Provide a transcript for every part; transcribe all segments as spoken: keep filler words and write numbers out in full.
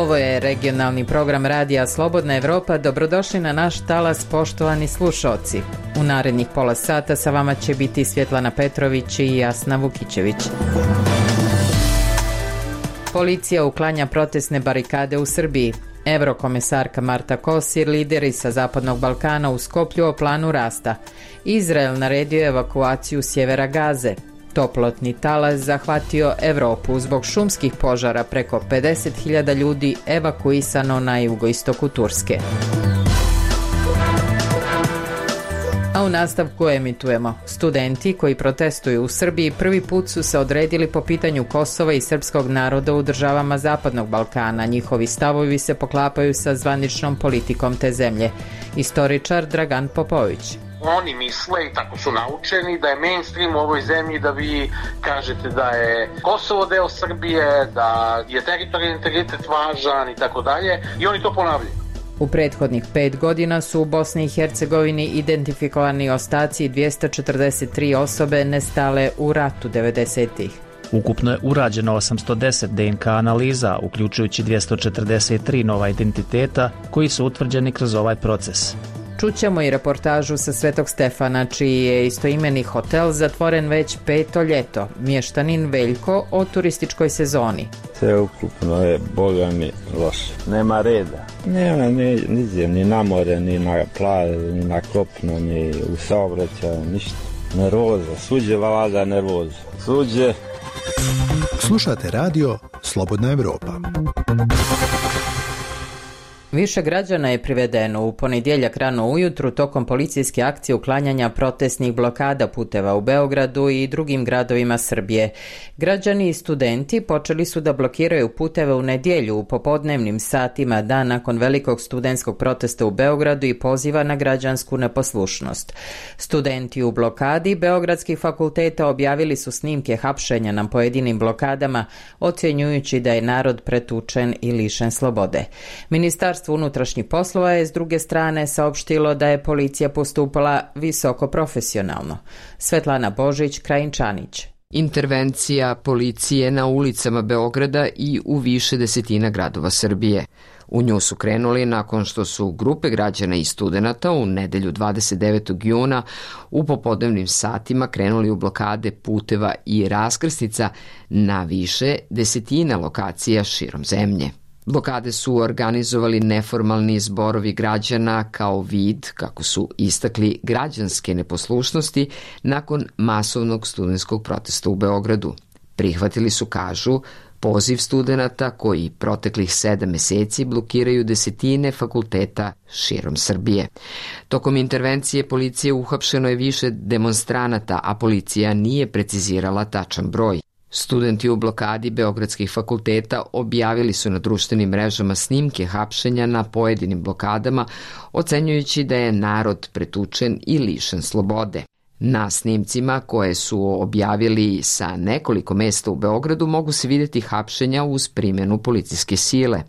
Ovo je regionalni program Radija Slobodna Evropa. Dobrodošli na naš talas, poštovani slušaoci. U narednih pola sata sa vama će biti Svjetlana Petrović i Jasna Vukićević. Policija uklanja protestne barikade u Srbiji. Evrokomesarka Marta Kosir, lideri sa Zapadnog Balkana u Skoplju o planu rasta. Izrael naredio evakuaciju sjevera Gaze. Toplotni talas zahvatio Evropu zbog šumskih požara, preko pedeset hiljada ljudi evakuisano na jugoistoku Turske. A u nastavku emitujemo. Studenti koji protestuju u Srbiji prvi put su se odredili po pitanju Kosova i srpskog naroda u državama Zapadnog Balkana. Njihovi stavovi se poklapaju sa zvaničnom politikom te zemlje. Istoričar Dragan Popović. Oni misle, i tako su naučeni, da je mainstream u ovoj zemlji da vi kažete da je Kosovo deo Srbije, da je teritorijalni integritet važan i tako dalje, i oni to ponavljaju. U prethodnih pet godina su u Bosni i Hercegovini identifikovani ostaci dvjesto četrdeset tri osobe nestale u ratu devedesetih. Ukupno je urađeno osamsto deset de en ka analiza, uključujući dvjesto četrdeset tri nova identiteta koji su utvrđeni kroz ovaj proces. Čućemo i reportažu sa Svetog Stefana, čiji je istoimeni hotel zatvoren već peto ljeto. Mještanin Veljko o turističkoj sezoni. Sve ukupno je, boga mi, loše. Nema reda. Nema ni, ni, ni na more, ni na plaži, ni na kopno, ni u saobraćaju, ništa. Nervoza, suđe valada nervoza. Suđe. Slušate radio Slobodna Evropa. Više građana je privedeno u ponedjeljak rano ujutru tokom policijske akcije uklanjanja protestnih blokada puteva u Beogradu i drugim gradovima Srbije. Građani i studenti počeli su da blokiraju puteve u nedjelju u popodnevnim satima, dan nakon velikog studentskog protesta u Beogradu i poziva na građansku neposlušnost. Studenti u blokadi beogradskih fakulteta objavili su snimke hapšenja na pojedinim blokadama, ocjenjujući da je narod pretučen i lišen slobode. Ministarstvo unutrašnjih poslova je s druge strane saopštilo da je policija postupala visoko profesionalno. Svetlana Božić, Krajinčanić. Intervencija policije na ulicama Beograda i u više desetina gradova Srbije. U nju su krenuli nakon što su grupe građana i studenata u nedelju dvadeset devetog juna u popodnevnim satima krenuli u blokade puteva i raskrsnica na više desetina lokacija širom zemlje. Blokade su organizovali neformalni zborovi građana kao vid, kako su istakli, građanske neposlušnosti nakon masovnog studentskog protesta u Beogradu. Prihvatili su, kažu, poziv studenata koji proteklih sedam meseci blokiraju desetine fakulteta širom Srbije. Tokom intervencije policije uhapšeno je više demonstranata, a policija nije precizirala tačan broj. Studenti u blokadi beogradskih fakulteta objavili su na društvenim mrežama snimke hapšenja na pojedinim blokadama, ocenjujući da je narod pretučen i lišen slobode. Na snimcima koje su objavili sa nekoliko mesta u Beogradu mogu se vidjeti hapšenja uz primjenu policijske sile.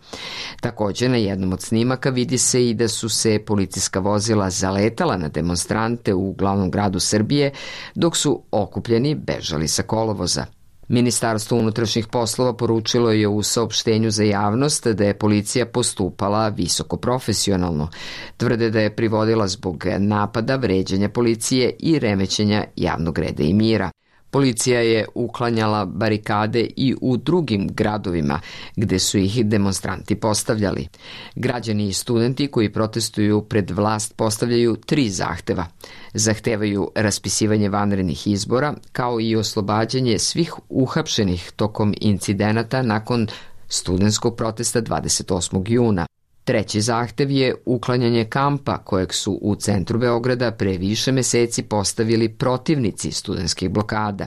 Također na jednom od snimaka vidi se i da su se policijska vozila zaletala na demonstrante u glavnom gradu Srbije, dok su okupljeni bežali sa kolovoza. Ministarstvo unutrašnjih poslova poručilo je u saopštenju za javnost da je policija postupala visoko profesionalno. Tvrde da je privodila zbog napada, vređanja policije i remećenja javnog reda i mira. Policija je uklanjala barikade i u drugim gradovima gde su ih demonstranti postavljali. Građani i studenti koji protestuju pred vlast postavljaju tri zahteva. Zahtevaju raspisivanje vanrednih izbora, kao i oslobađanje svih uhapšenih tokom incidenata nakon studentskog protesta dvadeset osmog juna. Treći zahtev je uklanjanje kampa kojeg su u centru Beograda pre više meseci postavili protivnici studentskih blokada.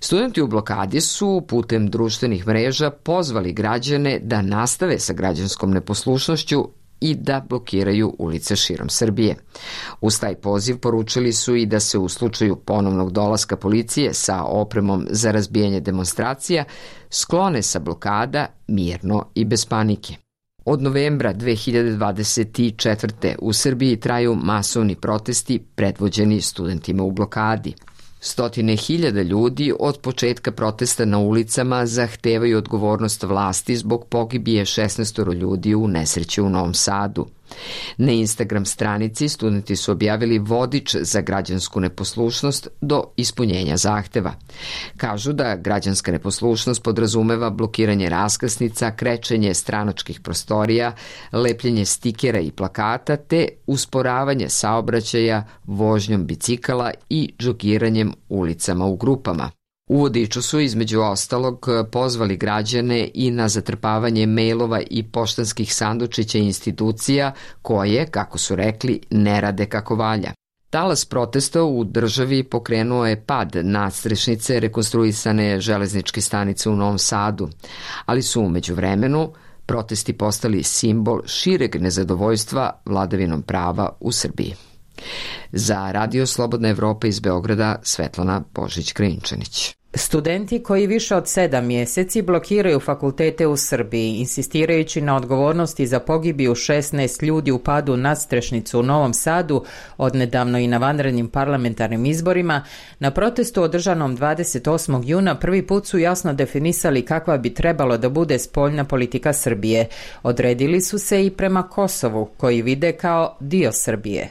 Studenti u blokadi su putem društvenih mreža pozvali građane da nastave sa građanskom neposlušnošću i da blokiraju ulice širom Srbije. Uz taj poziv poručili su i da se u slučaju ponovnog dolaska policije sa opremom za razbijanje demonstracija sklone sa blokada mirno i bez panike. Od novembra dve hiljade dvadeset četvrte. u Srbiji traju masovni protesti predvođeni studentima u blokadi. Stotine hiljada ljudi od početka protesta na ulicama zahtevaju odgovornost vlasti zbog pogibije šesnaestoro ljudi u nesreći u Novom Sadu. Na Instagram stranici studenti su objavili vodič za građansku neposlušnost do ispunjenja zahteva. Kažu da građanska neposlušnost podrazumeva blokiranje raskrsnica, krečenje stranačkih prostorija, lepljenje stikera i plakata te usporavanje saobraćaja vožnjom bicikala i džogiranjem ulicama u grupama. U vodiču su između ostalog pozvali građane i na zatrpavanje mejlova i poštanskih sandučića institucija koje, kako su rekli, ne rade kako valja. Talas protesta u državi pokrenuo je pad nadstrešnice rekonstruisane železničke stanice u Novom Sadu, ali su u međuvremenu protesti postali simbol šireg nezadovoljstva vladavinom prava u Srbiji. Za Radio Slobodna Evropa iz Beograda, Svetlana Božić-Krinčanić. Studenti koji više od sedam mjeseci blokiraju fakultete u Srbiji, insistirajući na odgovornosti za pogibiju šesnaest ljudi u padu nadstrešnicu u Novom Sadu, odnedavno i na vanrednim parlamentarnim izborima, na protestu održanom dvadeset osmog juna prvi put su jasno definisali kakva bi trebalo da bude spoljna politika Srbije. Odredili su se i prema Kosovu, koji vide kao dio Srbije.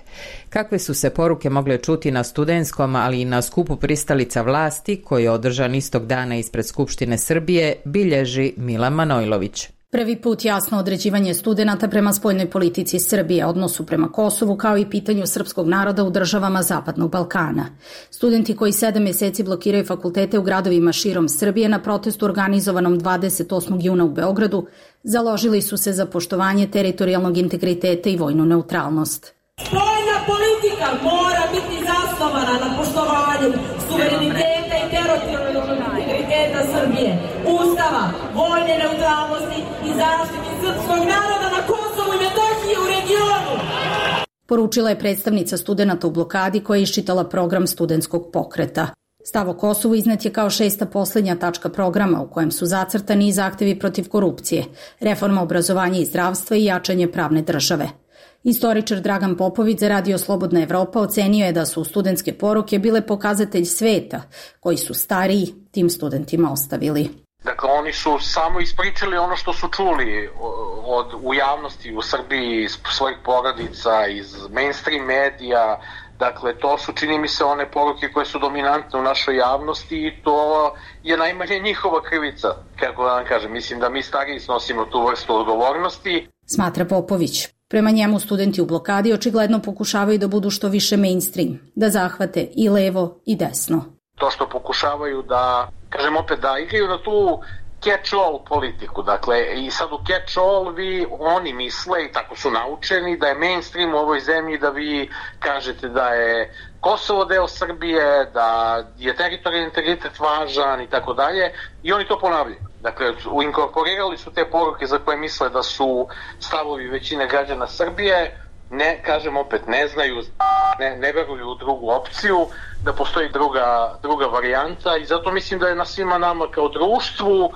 Kakve su se poruke mogle čuti na studentskom, ali i na skupu pristalica vlasti, koji je održan istog dana ispred Skupštine Srbije, bilježi Milan Manojlović. Prvi put jasno određivanje studenata prema spoljnoj politici Srbije, odnosu prema Kosovu, kao i pitanju srpskog naroda u državama Zapadnog Balkana. Studenti koji sedam mjeseci blokiraju fakultete u gradovima širom Srbije na protestu organizovanom dvadeset osmog juna u Beogradu založili su se za poštovanje teritorijalnog integriteta i vojnu neutralnost. Spoljna politika mora biti zasnovana na poštovanju suvereniteta i teritorijalnog integriteta Srbije, Ustava, vojne neutralnosti i zaštiti srpskog naroda na Kosovu i Metohiji u regionu. Poručila je predstavnica studenata u blokadi koja je iščitala program studentskog pokreta. Stav o Kosovu iznet je kao šesta posljednja tačka programa u kojem su zacrtani i zahtevi protiv korupcije, reforma obrazovanja i zdravstva i jačanje pravne države. Istoričar Dragan Popović za Radio Slobodna Evropa ocenio je da su studentske poruke bile pokazatelj sveta koji su stariji tim studentima ostavili. Dakle, oni su samo ispričali ono što su čuli od, u javnosti u Srbiji, iz svojih porodica, iz mainstream medija. Dakle, to su, čini mi se, one poruke koje su dominantne u našoj javnosti i to je najmanje njihova krivica. Kako da vam kažem, mislim da mi stariji snosimo tu vrstu odgovornosti. Smatra Popović. Prema njemu studenti u blokadi očigledno pokušavaju da budu što više mainstream, da zahvate i levo i desno. To što pokušavaju da, kažem opet, da igraju na tu catch-all politiku. Dakle, i sad u catch-all vi, oni misle, i tako su naučeni, da je mainstream u ovoj zemlji da vi kažete da je Kosovo deo Srbije, da je teritorijalni integritet važan i tako dalje, i oni to ponavljaju. Dakle, inkorporirali su te poruke za koje misle da su stavovi većine građana Srbije, ne, kažem opet, ne znaju, ne, ne veruju u drugu opciju, da postoji druga, druga varijanta i zato mislim da je na svima nama kao društvu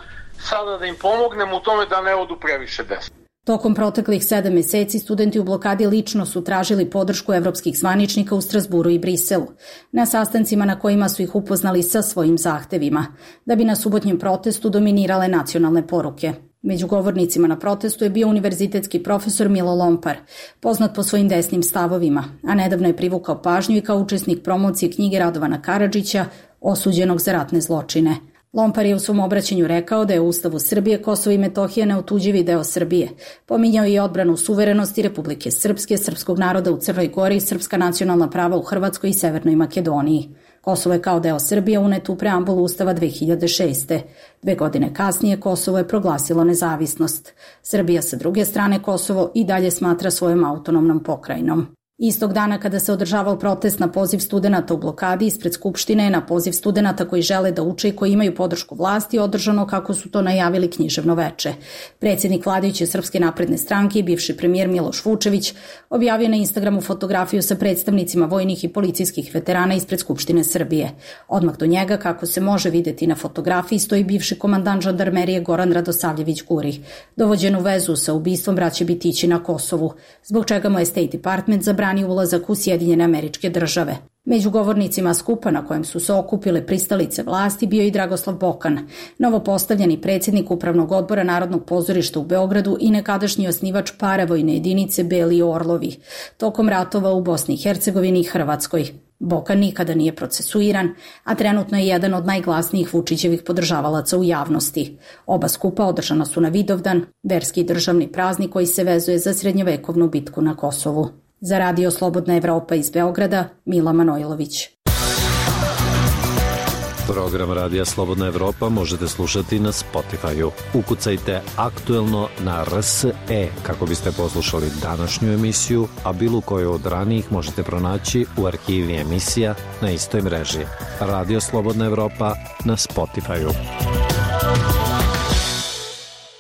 sada da im pomognemo u tome da ne odu previše desno. Tokom proteklih sedam mjeseci studenti u blokadi lično su tražili podršku evropskih zvaničnika u Strasburu i Briselu, na sastancima na kojima su ih upoznali sa svojim zahtevima, da bi na subotnjem protestu dominirale nacionalne poruke. Među govornicima na protestu je bio univerzitetski profesor Milo Lompar, poznat po svojim desnim stavovima, a nedavno je privukao pažnju i kao učesnik promocije knjige Radovana Karadžića, osuđenog za ratne zločine. Lompar je u svom obraćanju rekao da je u Ustavu Srbije Kosovo i Metohija neotuđivi deo Srbije. Pominjao je i odbranu suverenosti Republike Srpske, srpskog naroda u Crnoj Gori, srpska nacionalna prava u Hrvatskoj i Severnoj Makedoniji. Kosovo je kao deo Srbije unet u preambulu Ustava dve hiljade šeste. Dve godine kasnije Kosovo je proglasilo nezavisnost. Srbija sa druge strane Kosovo i dalje smatra svojom autonomnom pokrajinom. Istog dana kada se održavao protest na poziv studenata u blokadi ispred Skupštine, na poziv studenata koji žele da uče i koji imaju podršku vlasti, održano kako su to najavili književno veče. Predsjednik vladajuće Srpske napredne stranke i bivši premijer Miloš Vučević objavio na Instagramu fotografiju sa predstavnicima vojnih i policijskih veterana ispred Skupštine Srbije. Odmah do njega, kako se može videti na fotografiji, stoji bivši komandant žandarmerije Goran Radosavljević Guri, dovođen u vezu sa ubistvom braće Bitići na Kosovu, zbog čega mu je State Department zabranio ulazak u Sjedinjene Američke Države. Među govornicima skupa na kojem su se okupile pristalice vlasti bio i Dragoslav Bokan, novopostavljeni predsjednik Upravnog odbora Narodnog pozorišta u Beogradu i nekadašnji osnivač paravojne jedinice Beli Orlovi, tokom ratova u Bosni i Hercegovini i Hrvatskoj. Bokan nikada nije procesuiran, a trenutno je jedan od najglasnijih Vučićevih podržavalaca u javnosti. Oba skupa održana su na Vidovdan, verski državni praznik koji se vezuje za srednjovekovnu bitku na Kosovu. Za Radio Slobodna Evropa iz Beograda, Mila Manojlović. Program Radija Slobodna Evropa možete slušati na Spotify-u. Ukucajte aktuelno na R S E kako biste poslušali današnju emisiju, a bilo koju od ranijih možete pronaći u arhivi emisija na istoj mreži. Radio Slobodna Evropa na Spotify-u.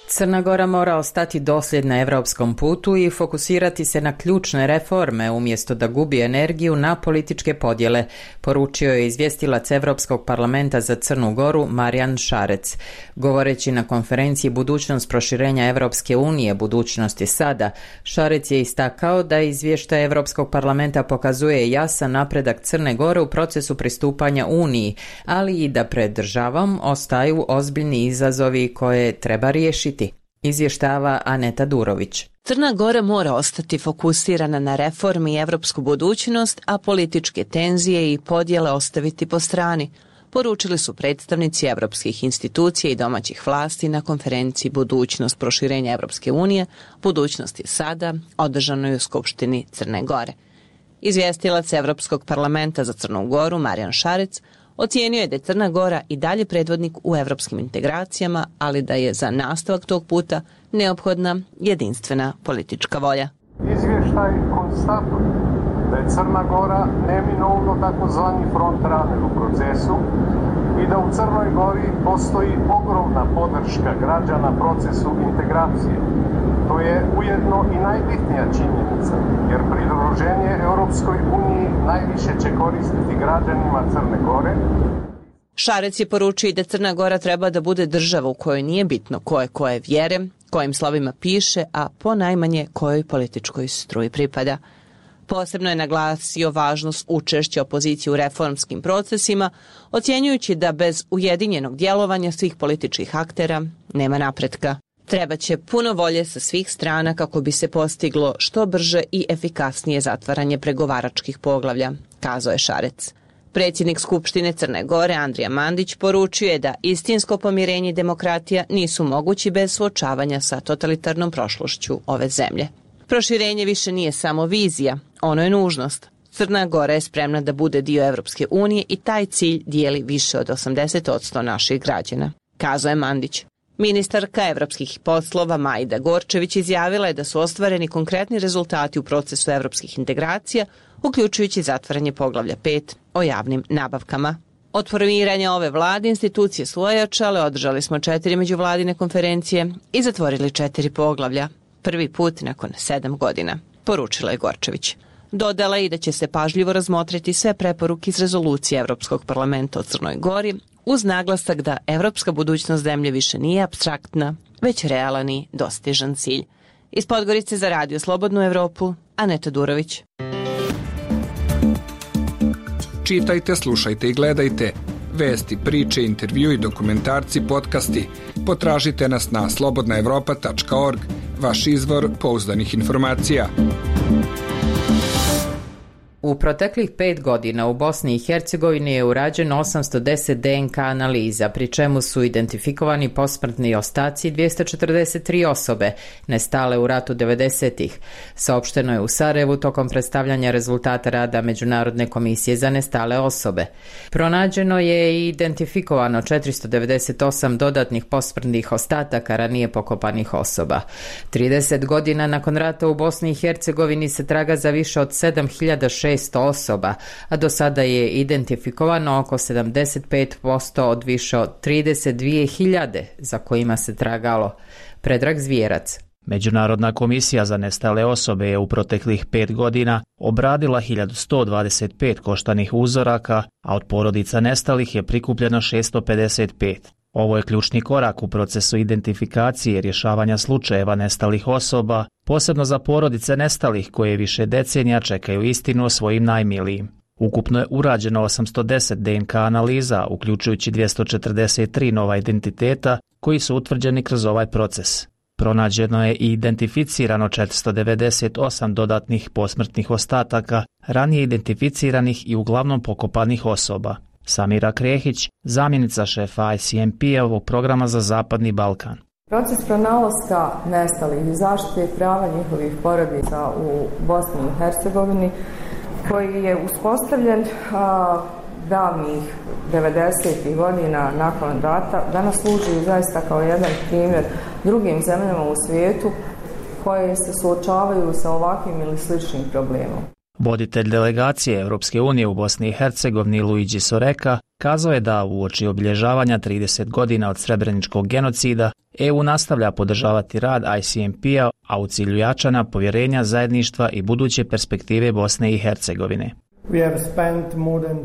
Crna Gora mora ostati dosljedna evropskom putu i fokusirati se na ključne reforme umjesto da gubi energiju na političke podjele, poručio je izvjestilac Evropskog parlamenta za Crnu Goru Marijan Šarec. Govoreći na konferenciji Budućnost proširenja Evropske unije, budućnost je sada, Šarec je istakao da izvještaj Evropskog parlamenta pokazuje jasan napredak Crne Gore u procesu pristupanja Uniji, ali i da pred državom ostaju ozbiljni izazovi koje treba riješiti. Izvještava Aneta Durović. Crna Gora mora ostati fokusirana na reformi i evropsku budućnost, a političke tenzije i podjele ostaviti po strani, poručili su predstavnici evropskih institucija i domaćih vlasti na konferenciji Budućnost proširenja Evropske unije, budućnost je sada, održanoj u Skupštini Crne Gore. Izvjestilac Evropskog parlamenta za Crnu Goru Marijan Šarec ocijenio je da je Crna Gora i dalje predvodnik u evropskim integracijama, ali da je za nastavak tog puta neophodna jedinstvena politička volja. Izvještaj konstatuje da je Crna Gora neminovno takozvani frontrunner u procesu i da u Crnoj Gori postoji ogromna podrška građana procesu integracije. To je ujedno i najbitnija činjenica, jer pridruženje Europskoj uniji najviše će koristiti građanima Crne Gore. Šarec je poručio da Crna Gora treba da bude država u kojoj nije bitno koje koje vjere, kojim slovima piše, a ponajmanje kojoj političkoj struji pripada. Posebno je naglasio važnost učešća opozicije u reformskim procesima, ocjenjujući da bez ujedinjenog djelovanja svih političkih aktera nema napretka. Treba će puno volje sa svih strana kako bi se postiglo što brže i efikasnije zatvaranje pregovaračkih poglavlja, kazao je Šarec. Predsjednik Skupštine Crne Gore Andrija Mandić poručio je da istinsko pomirenje i demokratija nisu mogući bez suočavanja sa totalitarnom prošlošću ove zemlje. Proširenje više nije samo vizija, ono je nužnost. Crna Gora je spremna da bude dio Evropske unije i taj cilj dijeli više od osamdeset posto naših građana, kazao je Mandić. Ministarka evropskih poslova Majda Gorčević izjavila je da su ostvareni konkretni rezultati u procesu evropskih integracija, uključujući zatvaranje poglavlja pet o javnim nabavkama. Od formiranja ove vlade institucije su ojačale, održali smo četiri međuvladine konferencije i zatvorili četiri poglavlja, prvi put nakon sedam godina, poručila je Gorčević. Dodala je i da će se pažljivo razmotriti sve preporuke iz rezolucije Evropskog parlamenta o Crnoj Gori, uz naglasak da evropska budućnost zemlje više nije apstraktna, već realan i dostižan cilj. Iz Podgorice za Radio Slobodnu Evropu, Aneta Durović. Čitajte, slušajte i gledajte. Vesti, priče, intervju i dokumentarci, podcasti. Potražite nas na slobodna evropa tačka org, vaš izvor pouzdanih informacija. U proteklih pet godina u Bosni i Hercegovini je urađeno osamsto deset D N K analiza, pri čemu su identifikovani posmrtni ostaci dvjesto četrdeset tri osobe, nestale u ratu devedesetih. Saopšteno je u Sarajevu tokom predstavljanja rezultata rada Međunarodne komisije za nestale osobe. Pronađeno je i identifikovano četiristo devedeset osam dodatnih posmrtnih ostataka ranije pokopanih osoba. trideset godina nakon rata u Bosni i Hercegovini se traga za više od sedam hiljada šesto osoba, a do sada je identifikovano oko sedamdeset pet posto od više od trideset dvije hiljade za kojima se tragalo. Predrag Zvijerac. Međunarodna komisija za nestale osobe je u proteklih pet godina obradila hiljadu sto dvadeset pet koštanih uzoraka, a od porodica nestalih je prikupljeno šesto pedeset pet. Ovo je ključni korak u procesu identifikacije i rješavanja slučajeva nestalih osoba, posebno za porodice nestalih koje više decenija čekaju istinu o svojim najmilijim. Ukupno je urađeno osamsto deset D N K analiza, uključujući dvjesto četrdeset tri nova identiteta koji su utvrđeni kroz ovaj proces. Pronađeno je i identificirano četiristo devedeset osam dodatnih posmrtnih ostataka, ranije identificiranih i uglavnom pokopanih osoba. Samira Krehić, zamjenica šefa I C M P-ovog programa za Zapadni Balkan. Proces pronalaska nestalih i zaštite prava njihovih porodica u Bosni i Hercegovini, koji je uspostavljen a, davnih devedesetih godina nakon rata, danas služi zaista kao jedan primjer drugim zemljama u svijetu koje se suočavaju sa ovakvim ili sličnim problemom. Voditelj delegacije Europske unije u Bosni i Hercegovini Luigi Soreka kazao je da uoči obilježavanja trideset godina od srebreničkog genocida E U nastavlja podržavati rad I C M P-a, a u cilju jačanja povjerenja, zajedništva i buduće perspektive Bosne i Hercegovine.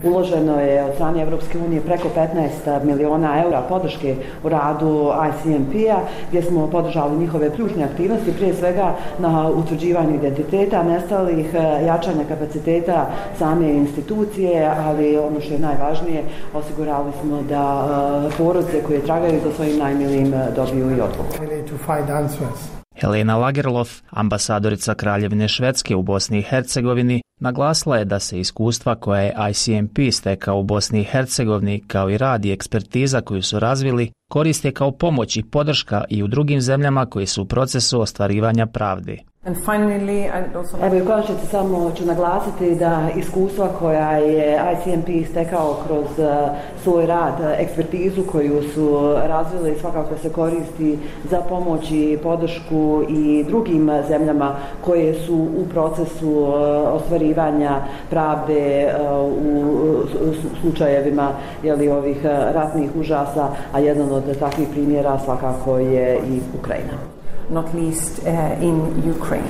Uloženo je od strane Europske unije preko petnaest miliona eura podrške u radu I C M P-a, gdje smo podržali njihove ključne aktivnosti, prije svega na utvrđivanju identiteta nestalih, jačanja kapaciteta same institucije, ali ono što je najvažnije, osigurali smo da porodice koje tragaju za svojim najmilijim dobiju i odgovor. Helena Lagerlof, ambasadorica Kraljevine Švedske u Bosni i Hercegovini, naglasila je da se iskustva koje je I C M P stekao u Bosni i Hercegovini, kao i rad i ekspertiza koju su razvili, koriste kao pomoć i podrška i u drugim zemljama koji su u procesu ostvarivanja pravde. Evo i u konačnici samo ću naglasiti da iskustva koja je I C M P stekao kroz svoj rad, ekspertizu koju su razvili, svakako se koristi za pomoć i podršku i drugim zemljama koje su u procesu ostvarivanja pravde u slučajevima jeli, ovih ratnih užasa, a jedan od takvih primjera svakako je i Ukrajina. Not least uh, in Ukraine.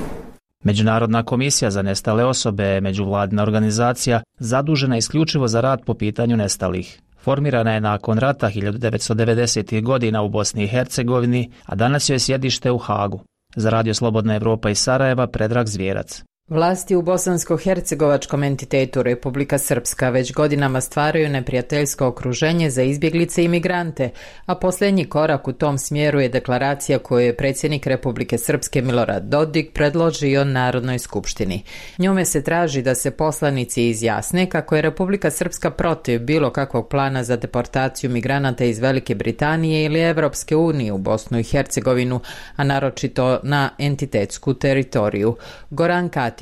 Međunarodna komisija za nestale osobe, međuvladina organizacija, zadužena isključivo za rad po pitanju nestalih. Formirana je nakon rata hiljadu devetsto devedesetih godina u Bosni i Hercegovini, a danas joj je sjedište u Hagu. Za Radio Slobodna Evropa iz Sarajeva, Predrag Zvijerac. Vlasti u bosansko-hercegovačkom entitetu Republika Srpska već godinama stvaraju neprijateljsko okruženje za izbjeglice i migrante, a posljednji korak u tom smjeru je deklaracija koju je predsjednik Republike Srpske Milorad Dodik predložio Narodnoj skupštini. Njome se traži da se poslanici izjasne kako je Republika Srpska protiv bilo kakvog plana za deportaciju migranata iz Velike Britanije ili Evropske unije u Bosnu i Hercegovinu, a naročito na entitetsku teritoriju. Goran Katić.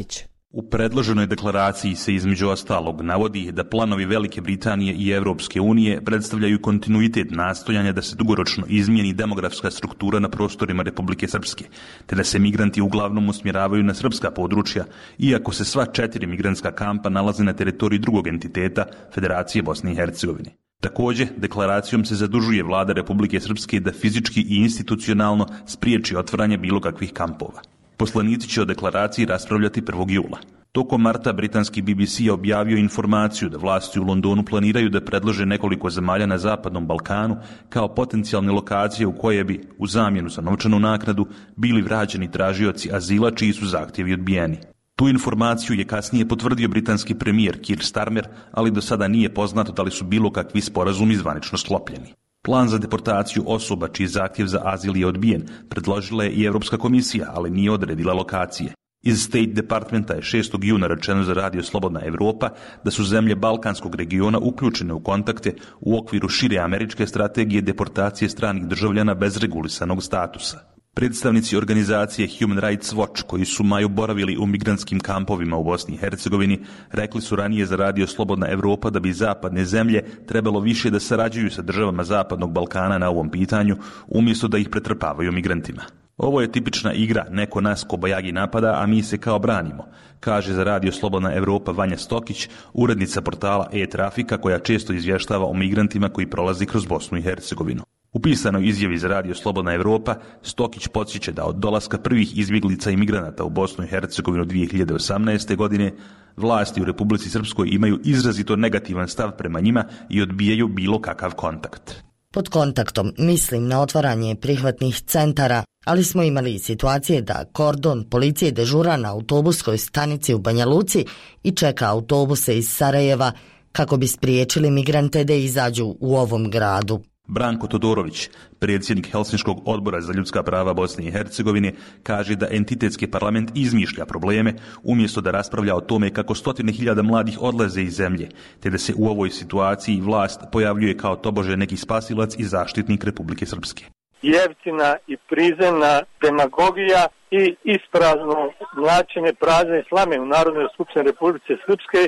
U predloženoj deklaraciji se između ostalog navodi da planovi Velike Britanije i Evropske unije predstavljaju kontinuitet nastojanja da se dugoročno izmijeni demografska struktura na prostorima Republike Srpske, te da se migranti uglavnom usmjeravaju na srpska područja, iako se sva četiri migrantska kampa nalaze na teritoriji drugog entiteta Federacije Bosne i Hercegovine. Također, deklaracijom se zadužuje vlada Republike Srpske da fizički i institucionalno spriječi otvaranje bilo kakvih kampova. Poslanici će o deklaraciji raspravljati prvog jula. Tokom marta britanski B B C je objavio informaciju da vlasti u Londonu planiraju da predlože nekoliko zemalja na Zapadnom Balkanu kao potencijalne lokacije u koje bi, u zamjenu za novčanu naknadu, bili vraćeni tražioci azila čiji su zahtjevi odbijeni. Tu informaciju je kasnije potvrdio britanski premijer Keir Starmer, ali do sada nije poznato da li su bilo kakvi sporazumi zvanično sklopljeni. Plan za deportaciju osoba čiji zahtjev za azil je odbijen predložila je i Europska komisija, ali nije odredila lokacije. Iz State Departmenta je šestog juna rečeno za Radio Slobodna Evropa da su zemlje Balkanskog regiona uključene u kontakte u okviru šire američke strategije deportacije stranih državljana bez regulisanog statusa. Predstavnici organizacije Human Rights Watch, koji su maju boravili u migrantskim kampovima u Bosni i Hercegovini, rekli su ranije za Radio Slobodna Evropa da bi zapadne zemlje trebalo više da sarađuju sa državama Zapadnog Balkana na ovom pitanju, umjesto da ih pretrpavaju migrantima. Ovo je tipična igra, neko nas kobajagi napada, a mi se kao branimo, kaže za Radio Slobodna Evropa Vanja Stokić, urednica portala e-Trafika koja često izvještava o migrantima koji prolazi kroz Bosnu i Hercegovinu. U pisanoj izjavi za Radio Slobodna Evropa, Stokić podsjeća da od dolaska prvih izbjeglica i migranata u Bosnu i Hercegovinu dvije hiljade osamnaeste. godine vlasti u Republici Srpskoj imaju izrazito negativan stav prema njima i odbijaju bilo kakav kontakt. Pod kontaktom mislim na otvaranje prihvatnih centara, ali smo imali i situacije da kordon policije dežura na autobuskoj stanici u Banja Luci i čeka autobuse iz Sarajeva kako bi spriječili migrante da izađu u ovom gradu. Branko Todorović, predsjednik Helsinškog odbora za ljudska prava Bosne i Hercegovine, kaže da entitetski parlament izmišlja probleme umjesto da raspravlja o tome kako stotine hiljada mladih odlaze iz zemlje, te da se u ovoj situaciji vlast pojavljuje kao tobože neki spasilac i zaštitnik Republike Srpske. Jeftina i prizemna demagogija i isprazno mlačenje prazne slame u Narodnoj skupštini Republike Srpske.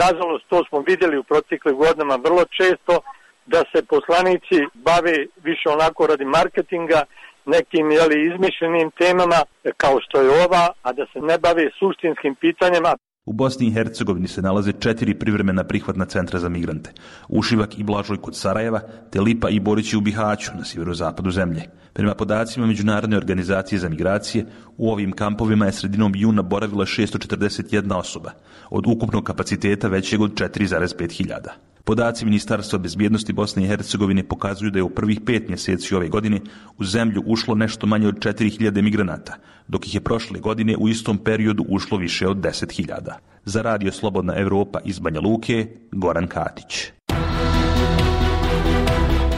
Nažalost, to smo vidjeli u proteklim godinama vrlo često, da se poslanici bave više onako radi marketinga, nekim jeli, izmišljenim temama kao što je ova, a da se ne bave suštinskim pitanjima. U Bosni i Hercegovini se nalaze četiri privremena prihvatna centra za migrante. Ušivak i Blažoj kod Sarajeva, te Lipa i Borići u Bihaću na sjeverozapadu zemlje. Prema podacima Međunarodne organizacije za migracije, u ovim kampovima je sredinom juna boravila šesto četrdeset jedna osoba, od ukupnog kapaciteta većeg od četiri zarez pet hiljada. Podaci Ministarstva bezbjednosti Bosne i Hercegovine pokazuju da je u prvih pet mjeseci ove godine u zemlju ušlo nešto manje od četiri hiljade migranata, dok ih je prošle godine u istom periodu ušlo više od deset hiljada. Za Radio Slobodna Evropa iz Banja Luke, Goran Katić.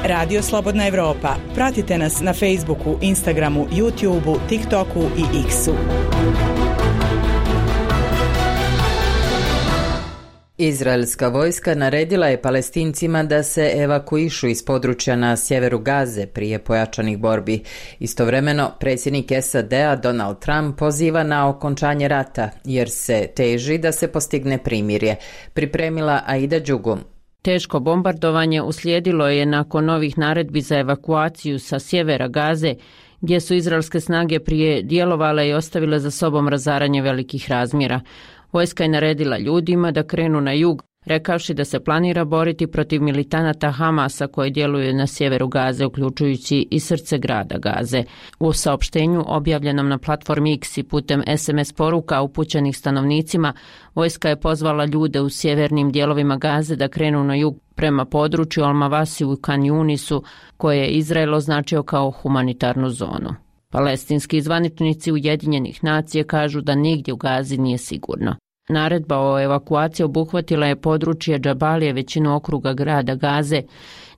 Radio Slobodna Evropa. Pratite nas na Facebooku, Instagramu, YouTubeu, TikToku i X-u. Izraelska vojska naredila je Palestincima da se evakuišu iz područja na sjeveru Gaze prije pojačanih borbi. Istovremeno, predsjednik S A D-a Donald Trump poziva na okončanje rata, jer se teži da se postigne primirje. Pripremila Aida Đugum. Teško bombardovanje uslijedilo je nakon novih naredbi za evakuaciju sa sjevera Gaze, gdje su izraelske snage prije djelovale i ostavile za sobom razaranje velikih razmjera. Vojska je naredila ljudima da krenu na jug, rekavši da se planira boriti protiv militanata Hamasa koji djeluju na sjeveru Gaze, uključujući i srce grada Gaze. U saopštenju objavljenom na platformi X i putem S M S poruka upućenih stanovnicima, vojska je pozvala ljude u sjevernim dijelovima Gaze da krenu na jug prema području Al-Mawasi u Kan Yunisu, koje je Izrael označio kao humanitarnu zonu. Palestinski zvaničnici Ujedinjenih nacija kažu da nigdje u Gazi nije sigurno. Naredba o evakuaciji obuhvatila je područje Džabalije, većinu okruga grada Gaze.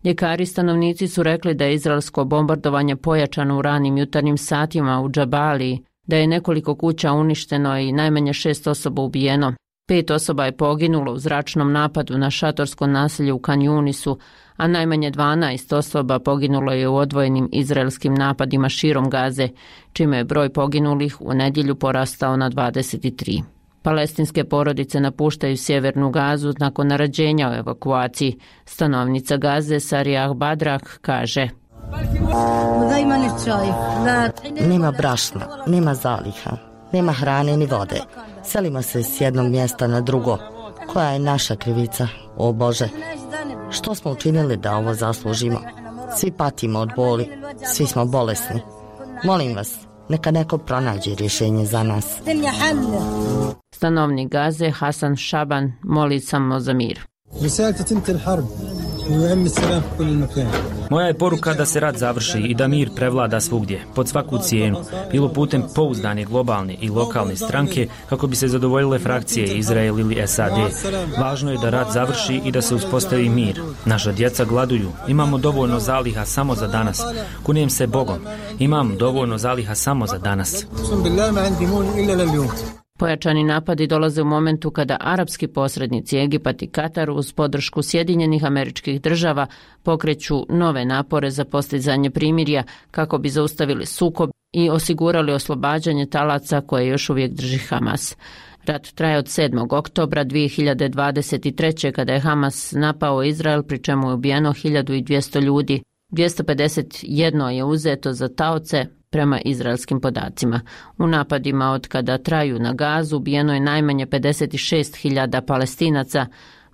Ljekari stanovnici su rekli da je izraelsko bombardovanje pojačano u ranim jutarnjim satima u Džabaliji, da je nekoliko kuća uništeno i najmanje šest osoba ubijeno. Pet osoba je poginulo u zračnom napadu na šatorsko naselje u Kan Yunisu, a najmanje dvanaest osoba poginulo je u odvojenim izraelskim napadima širom Gaze, čime je broj poginulih u nedjelju porastao na dvadeset tri. Palestinske porodice napuštaju sjevernu Gazu nakon naređenja o evakuaciji. Stanovnica Gaze Sariyah Badrak kaže: Nema brašna, nema zaliha, nema hrane ni vode. Selimo se s jednog mjesta na drugo. Koja je naša krivica, o Bože? Što smo učinili da ovo zaslužimo? Svi patimo od boli, svi smo bolesni. Molim vas, neka neko pronađe rješenje za nas. Stanovnik Gaze Hasan Šaban moli samo za mir. Moja je poruka da se rat završi i da mir prevlada svugdje, pod svaku cijenu, bilo putem pouzdane globalne i lokalne stranke kako bi se zadovoljile frakcije Izrael ili S A D. Važno je da rat završi i da se uspostavi mir. Naša djeca gladuju, imamo dovoljno zaliha samo za danas. Kunijem se Bogom, imam dovoljno zaliha samo za danas. Pojačani napadi dolaze u momentu kada arapski posrednici Egipat i Katar uz podršku Sjedinjenih Američkih Država pokreću nove napore za postizanje primirja kako bi zaustavili sukob i osigurali oslobađanje talaca koje još uvijek drži Hamas. Rat traje od sedmog oktobra dvije hiljade dvadeset treće kada je Hamas napao Izrael, pri čemu je ubijeno hiljadu dvjesto ljudi. dvjesto pedeset jedan je uzeto za taoce prema izraelskim podacima. U napadima od kada traju na Gazu ubijeno je najmanje pedeset šest hiljada Palestinaca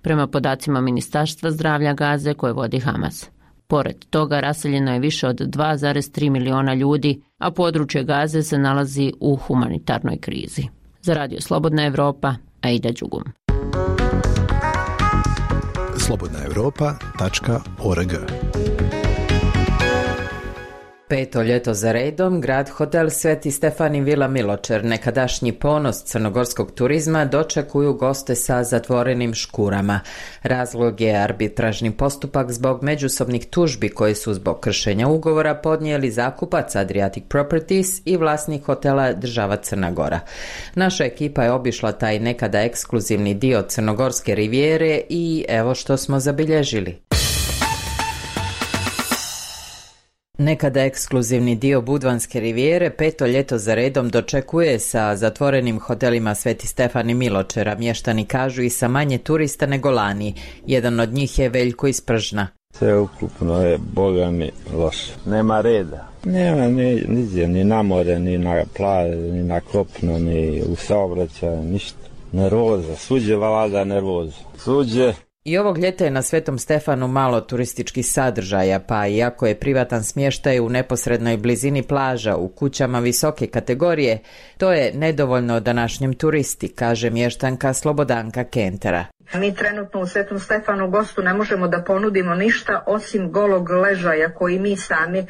prema podacima Ministarstva zdravlja Gaze koje vodi Hamas. Pored toga raseljeno je više od dva zarez tri miliona ljudi, a područje Gaze se nalazi u humanitarnoj krizi. Za Radio Slobodna Evropa, Aida Đugum. slobodna evropa tačka org Peto ljeto za redom, grad hotel Sveti Stefan i Vila Miločer, nekadašnji ponos crnogorskog turizma, dočekuju goste sa zatvorenim škurama. Razlog je arbitražni postupak zbog međusobnih tužbi koje su zbog kršenja ugovora podnijeli zakupac Adriatic Properties i vlasnik hotela država Crna Gora. Naša ekipa je obišla taj nekada ekskluzivni dio crnogorske rivijere i evo što smo zabilježili. Nekada ekskluzivni dio Budvanske rivijere peto ljeto za redom dočekuje sa zatvorenim hotelima Sveti Stefan i Miločera. Mještani kažu i sa manje turista nego lani. Jedan od njih je Veljko iz Pržna. Sve ukupno je, boga mi, loše. Nema reda. Nema ni, ni, ni na more, ni na plaže, ni na kopno, ni u saobraćaju, ništa. Nervoza, suđe valada nervoza. Suđe. I ovog ljeta je na Svetom Stefanu malo turističkih sadržaja, pa iako je privatan smještaj u neposrednoj blizini plaža u kućama visoke kategorije, to je nedovoljno današnjem turisti, kaže mještanka Slobodanka Kentera. Mi trenutno u Svetom Stefanu gostu ne možemo da ponudimo ništa osim golog ležaja koji mi sami e,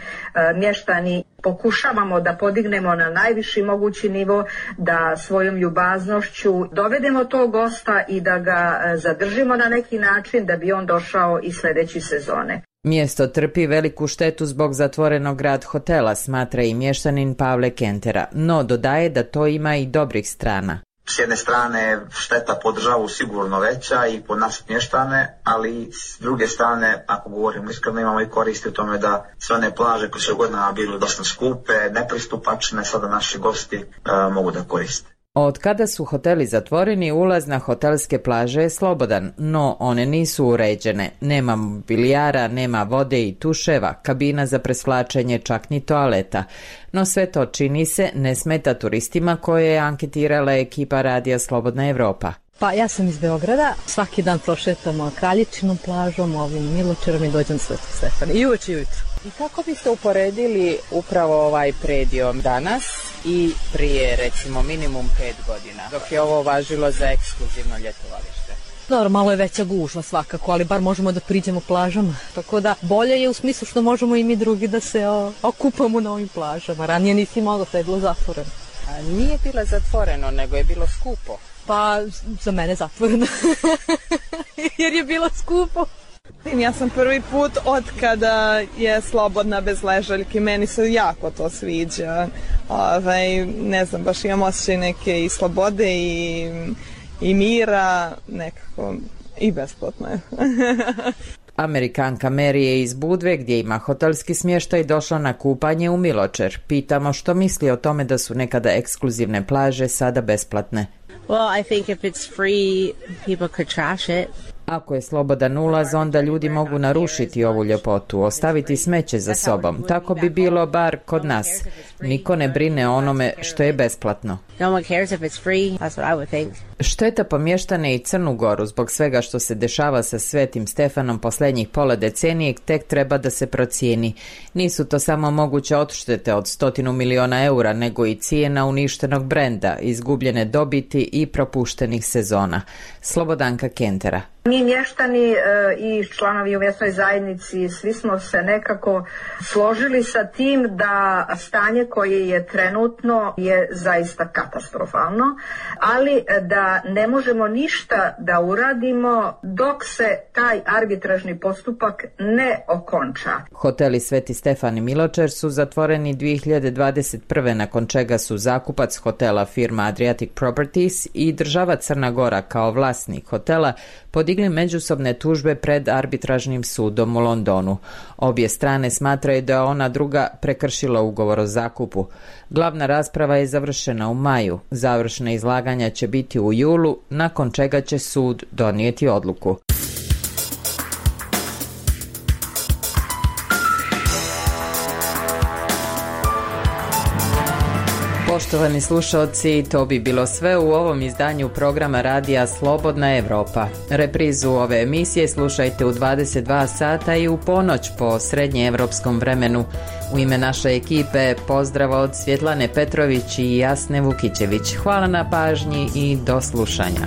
mještani pokušavamo da podignemo na najviši mogući nivo, da svojom ljubaznošću dovedemo tog gosta i da ga e, zadržimo na neki način da bi on došao i sljedeće sezone. Mjesto trpi veliku štetu zbog zatvorenog grad hotela, smatra i mještanin Pavle Kentera, no dodaje da to ima i dobrih strana. S jedne strane šteta po državu sigurno veća i po nas mještane, ali s druge strane, ako govorimo iskreno, imamo i koristi u tome da sve one plaže koje su godinama bile dosta skupe, nepristupačne, sada naši gosti uh, mogu da koriste. Od kada su hoteli zatvoreni, ulaz na hotelske plaže je slobodan, no one nisu uređene. Nema mobilijara, nema vode i tuševa, kabina za presvlačenje, čak ni toaleta. No sve to, čini se, ne smeta turistima koje je anketirala ekipa radija Slobodna Evropa. Pa ja sam iz Beograda, svaki dan prošetamo Kralječinom plažom, ovim Miločerom i dođem Svetog Stefana. I uveč i ujutro. I kako biste uporedili upravo ovaj predio danas i prije recimo minimum pet godina, dok je ovo važilo za ekskluzivno ljetovalište? Dobro, malo je veća gužva svakako, ali bar možemo da priđemo plažama. Tako da bolje je u smislu što možemo i mi drugi da se o, okupamo na ovim plažama. Ranije nisi moglo, sve je bilo zatvoreno. A nije bilo zatvoreno, nego je bilo skupo. Pa za mene zatvoreno, jer je bilo skupo. Ja sam prvi put od kada je slobodna bez ležaljki, meni se jako to sviđa. Ovaj, ne znam, baš imam osjećaj neke i slobode i, i mira, nekako i besplatno je. Amerikanka Mary je iz Budve, gdje ima hotelski smještaj, došla na kupanje u Miločer. Pitamo što misli o tome da su nekada ekskluzivne plaže sada besplatne. Well, I think if it's free, people could trash it. Ako je slobodan ulaz, onda ljudi mogu narušiti ovu ljepotu, ostaviti smeće za sobom. Tako bi bilo bar kod nas. Niko ne brine o onome što je besplatno. No one cares if it's free. That's what I would think. Šteta po mještane i Crnu Goru zbog svega što se dešava sa Svetim Stefanom posljednjih pola decenije tek treba da se procijeni. Nisu to samo moguće odštete od stotinu miliona eura, nego i cijena uništenog brenda, izgubljene dobiti i propuštenih sezona. Slobodanka Kentera. Mi mještani e, i članovi u mjesnoj zajednici, svi smo se nekako složili sa tim da stanje koje je trenutno je zaista katastrofalno, ali da ne možemo ništa da uradimo dok se taj arbitražni postupak ne okonča. Hoteli Sveti Stefan i Miločer su zatvoreni dvije hiljade dvadeset prve nakon čega su zakupac hotela firma Adriatic Properties i država Crna Gora kao vlasnik hotela podigli međusobne tužbe pred arbitražnim sudom u Londonu. Obje strane smatraju da je ona druga prekršila ugovor o zakupu. Glavna rasprava je završena u maju. Završna izlaganja će biti u julu, nakon čega će sud donijeti odluku. Poštovani slušalci, to bi bilo sve u ovom izdanju programa radija Slobodna Evropa. Reprizu ove emisije slušajte u dvadeset dva sata i u ponoć po srednjeevropskom vremenu. U ime naše ekipe pozdrav od Svjetlane Petrović i Jasne Vukićević. Hvala na pažnji i do slušanja.